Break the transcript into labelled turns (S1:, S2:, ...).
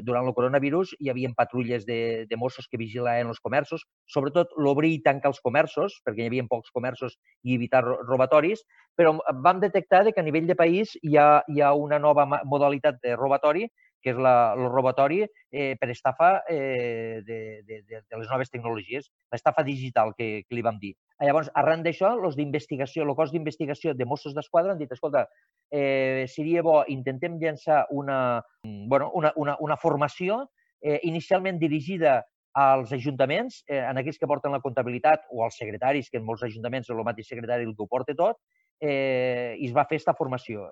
S1: Durant el coronavirus hi havia patrulles de Mossos que vigilaven els comerços, sobretot l'obrir i tancar els comerços, perquè hi havia pocs comerços i evitar robatoris, però vam detectar que a nivell de país hi ha una nova modalitat de robatori, que és el robatori per estafa de les noves tecnologies, l'estafa digital que li vam dir. Llavors, arran d'això, el cos d'investigació de Mossos d'Esquadra han dit, escolta, seria bo, intentem llançar una formació inicialment dirigida als ajuntaments, en aquells que porten la comptabilitat, o als secretaris, que en molts ajuntaments és el mateix secretari el que ho porta tot, i es va fer aquesta formació.